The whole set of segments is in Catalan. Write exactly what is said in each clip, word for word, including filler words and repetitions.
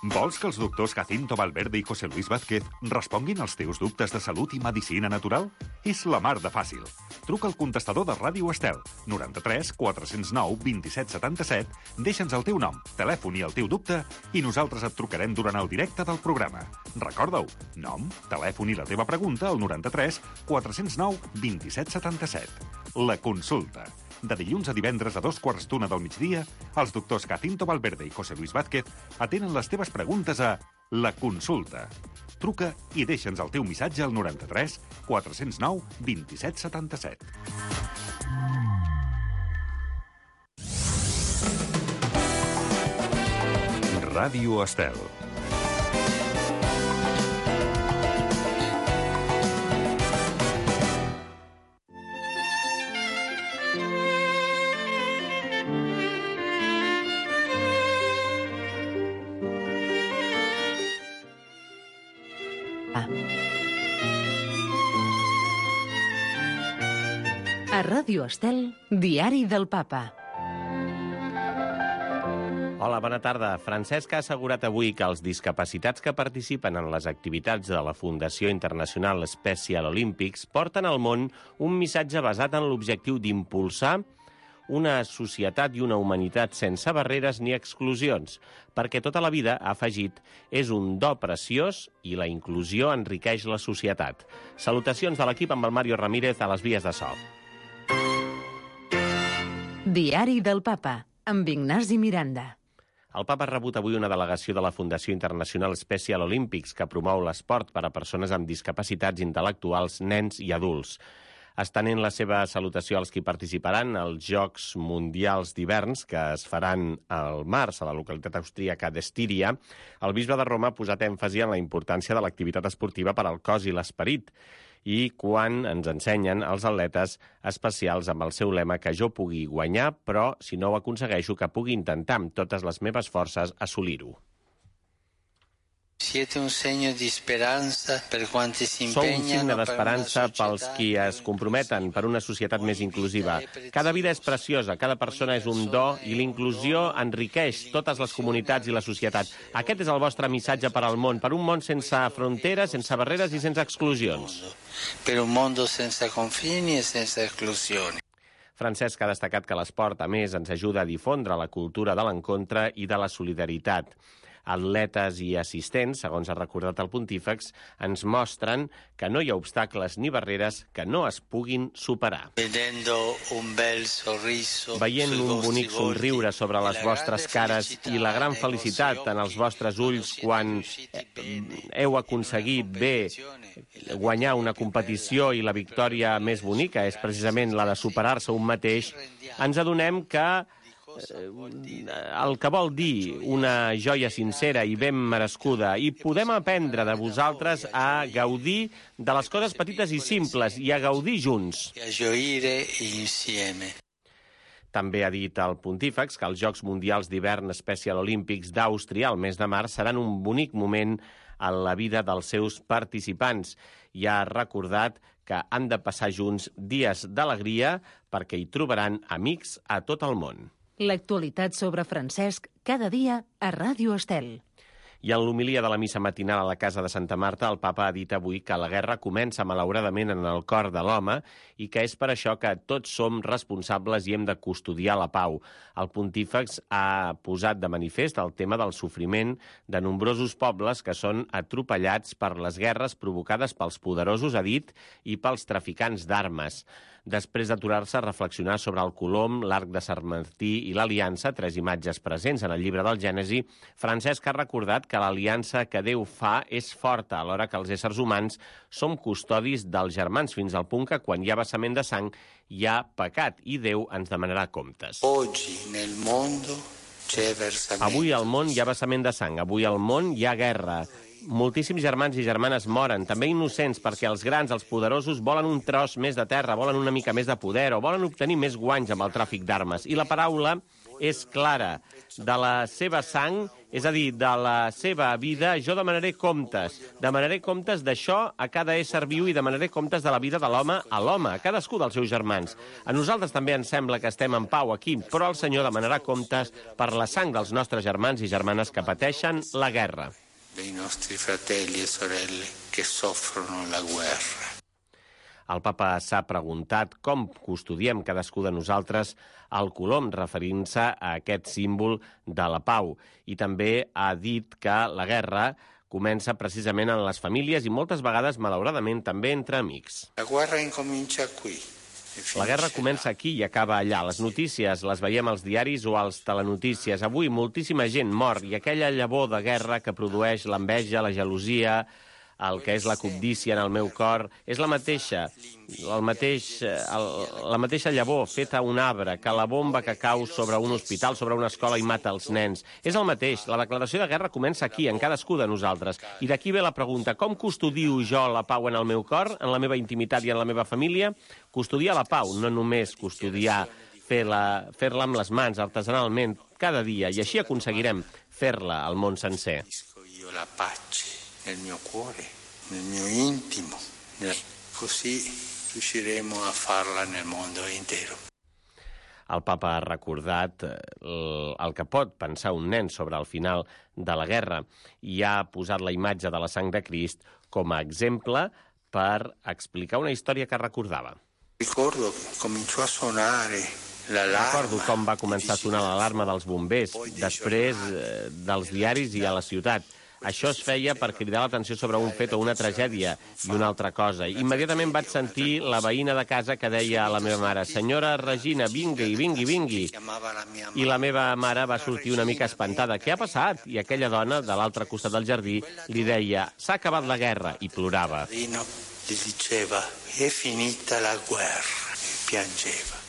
Vols que els doctors Jacinto Valverde i José Luis Vázquez responguin als teus dubtes de salut i medicina natural? És la mar de fàcil. Truca al contestador de Ràdio Estel, noranta-tres quatre cents nou vint-i-set setanta-set, deixa'ns el teu nom, telèfon i el teu dubte i nosaltres et trucarem durant el directe del programa. Recorda-ho, nom, telèfon i la teva pregunta al noranta-tres quatre cents nou vint-i-set setanta-set. La consulta. De dilluns a divendres a dos quarts d'una del migdia, els doctors Jacinto Valverde i José Luis Vázquez atenen les teves preguntes a La Consulta. Truca i deixa'ns el teu missatge al noranta-tres quatre cents nou vint-i-set setanta-set. Ràdio Estel. A Ràdio Estel, Diari del Papa. Hola, bona tarda. Francesc ha assegurat avui que els discapacitats que participen en les activitats de la Fundació Internacional Special Olympics porten al món un missatge basat en l'objectiu d'impulsar una societat i una humanitat sense barreres ni exclusions, perquè tota la vida, ha afegit, és un do preciós i la inclusió enriqueix la societat. Salutacions de l'equip amb el Mario Ramírez a les vies de so. Diari del Papa, amb Ignasi Miranda. El Papa ha rebut avui una delegació de la Fundació Internacional Special Olympics que promou l'esport per a persones amb discapacitats intel·lectuals, nens i adults. Estenent la seva salutació als qui participaran als Jocs Mundials d'Hiverns, que es faran al març a la localitat austríaca d'Estíria, el bisbe de Roma ha posat èmfasi en la importància de l'activitat esportiva per al cos i l'esperit, i quan ens ensenyen els atletes especials amb el seu lema que jo pugui guanyar, però si no ho aconsegueixo que pugui intentar amb totes les meves forces assolir-ho. Siete un segno di speranza per quanti si Sou un impegnano signe d'esperança pels qui es comprometen per una societat més inclusiva. Cada vida és preciosa, cada persona és un do i l'inclusió enriqueix totes les comunitats i la societat. Aquest és el vostre missatge per al món, per un món sense fronteres, sense barreres i sense exclusions. Per un mondo sense confini e sense esclusioni. Francesc ha destacat que l'esport, a més, ens ajuda a difondre la cultura de l'encontre i de la solidaritat. Atletes i assistents, segons ha recordat el pontífex, ens mostren que no hi ha obstacles ni barreres que no es puguin superar. Veient un bonic somriure sobre les vostres cares i la gran felicitat en els vostres ulls quan heu aconseguit bé guanyar una competició i la victòria més bonica és precisament la de superar-se un mateix, ens adonem que el que vol dir una joia sincera i ben merescuda, i podem aprendre de vosaltres a gaudir de les coses petites i simples i a gaudir junts. També ha dit el pontífex que els Jocs Mundials d'Hivern Special Olympics d'Àustria al mes de març seran un bonic moment en la vida dels seus participants i ha recordat que han de passar junts dies d'alegria perquè hi trobaran amics a tot el món. L'actualitat sobre Francesc cada dia a Ràdio Estel. I en l'homilia de la missa matinal a la Casa de Santa Marta, el papa ha dit avui que la guerra comença malauradament en el cor de l'home i que és per això que tots som responsables i hem de custodiar la pau. El pontífex ha posat de manifest el tema del sofriment de nombrosos pobles que són atropellats per les guerres provocades pels poderosos, ha dit, i pels traficants d'armes. Després d'aturar-se a reflexionar sobre el Colom, l'Arc de Sant Martí i l'Aliança, tres imatges presents en el llibre del Gènesi, Francesc ha recordat que l'aliança que Déu fa és forta, alhora que els éssers humans som custodis dels germans, fins al punt que quan hi ha vessament de sang hi ha pecat i Déu ens demanarà comptes. Avui al món hi ha vessament de sang, avui al món hi ha guerra. Moltíssims germans i germanes moren, també innocents, perquè els grans, els poderosos, volen un tros més de terra, volen una mica més de poder o volen obtenir més guanys amb el tràfic d'armes. I la paraula és clara. De la seva sang, és a dir, de la seva vida, jo demanaré comptes. Demanaré comptes d'això a cada ésser viu i demanaré comptes de la vida de l'home a l'home, a cadascú dels seus germans. A nosaltres també ens sembla que estem en pau aquí, però el Senyor demanarà comptes per la sang dels nostres germans i germanes que pateixen la guerra. Dei nostri fratelli e sorelle che soffrono la guerra. El papa s'ha preguntat com custodiem cadascú de nosaltres el colom, referint-se a aquest símbol de la pau. I també ha dit que la guerra comença precisament en les famílies i moltes vegades, malauradament, també entre amics. La guerra incomincia qui. La guerra comença aquí i acaba allà. Les notícies les veiem als diaris o als telenotícies. Avui moltíssima gent mor i aquella llavor de guerra que produeix l'enveja, la gelosia, el que és la cobdícia en el meu cor, és la mateixa, el mateix, el, la mateixa llavor feta a un arbre que la bomba que cau sobre un hospital, sobre una escola i mata els nens. És el mateix. La declaració de guerra comença aquí, en cadascú de nosaltres. I d'aquí ve la pregunta, com custodio jo la pau en el meu cor, en la meva intimitat i en la meva família? Custodiar la pau, no només custodiar, fer-la fer-la amb les mans, artesanalment, cada dia, i així aconseguirem fer-la al món sencer. La pace nel mio cuore, nel mio intimo, così riusciremo a farla nel mondo intero. El papa ha recordat el, el que pot pensar un nen sobre el final de la guerra i ha posat la imatge de la sang de Crist com a exemple per explicar una història que recordava. Ricordo que cominciò a suonare Recordo com va començar a sonar l'alarma dels bombers, després eh, dels diaris i a la ciutat. Això es feia per cridar l'atenció sobre un fet o una tragèdia i una altra cosa. Immediatament vaig sentir la veïna de casa que deia a la meva mare: «Senyora Regina, vingui, vingui, vingui». I la meva mare va sortir una mica espantada. «Què ha passat?» I aquella dona, de l'altre costat del jardí, li deia: «S'ha acabat la guerra», i plorava. Li diceva: «È finita la guerra», i piangeva.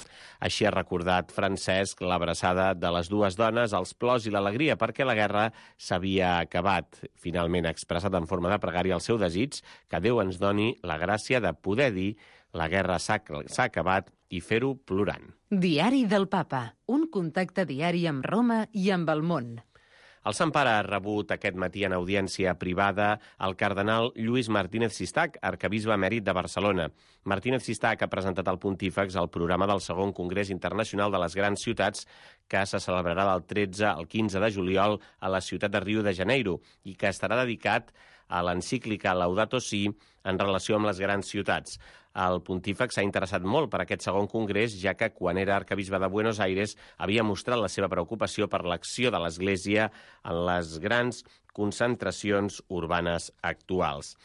Així ha recordat Francesc l'abraçada de les dues dones, els plors i l'alegria, perquè la guerra s'havia acabat. Finalment ha expressat en forma de pregària el seu desig que Déu ens doni la gràcia de poder dir la guerra s'ha acabat i fer-ho plorant. Diari del Papa, un contacte diari amb Roma i amb el món. El Sant Pare ha rebut aquest matí en audiència privada el cardenal Lluís Martínez Sistac, arquebisbe emèrit de Barcelona. Martínez Sistac ha presentat al Pontífex el programa del segon Congrés Internacional de les Grans Ciutats, que se celebrarà del tretze al quinze de juliol a la ciutat de Rio de Janeiro i que estarà dedicat a l'encíclica Laudato Si en relació amb les grans ciutats. El pontífex s'ha interessat molt per aquest segon congrés, ja que quan era arquebisbe de Buenos Aires havia mostrat la seva preocupació per l'acció de l'Església en les grans concentracions urbanes actuals.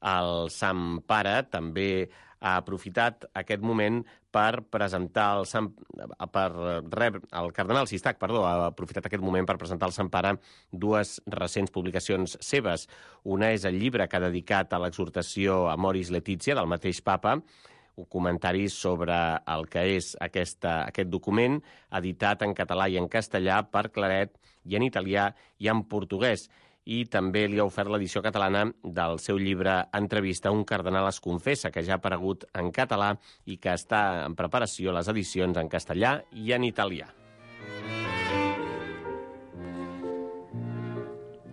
El Sant Pare també ha aprofitat aquest moment per presentar el Sant, per rebre, el cardenal Sistac, perdó, ha aprofitat aquest moment per presentar al Sant Pare dues recents publicacions seves. Una és el llibre que ha dedicat a l'exhortació Amoris Laetitia del mateix papa, un comentari sobre el que és aquesta, aquest document, editat en català i en castellà per Claret i en italià i en portuguès. I també li ha ofert l'edició catalana del seu llibre Entrevista, un cardenal es confessa, que ja ha aparegut en català i que està en preparació les edicions en castellà i en italià.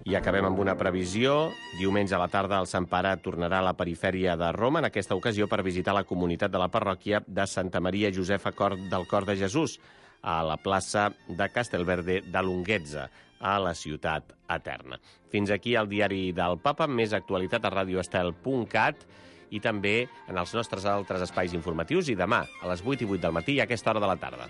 I acabem amb una previsió. Diumenge a la tarda el Sant Pare tornarà a la perifèria de Roma, en aquesta ocasió per visitar la comunitat de la parròquia de Santa Maria Josefa Cor del Cor de Jesús, a la plaça de Castelverde de Lunghezza, a la ciutat eterna. Fins aquí el diari del Papa, més actualitat a radio estel punt cat i també en els nostres altres espais informatius i demà a les vuit i vuit del matí a aquesta hora de la tarda.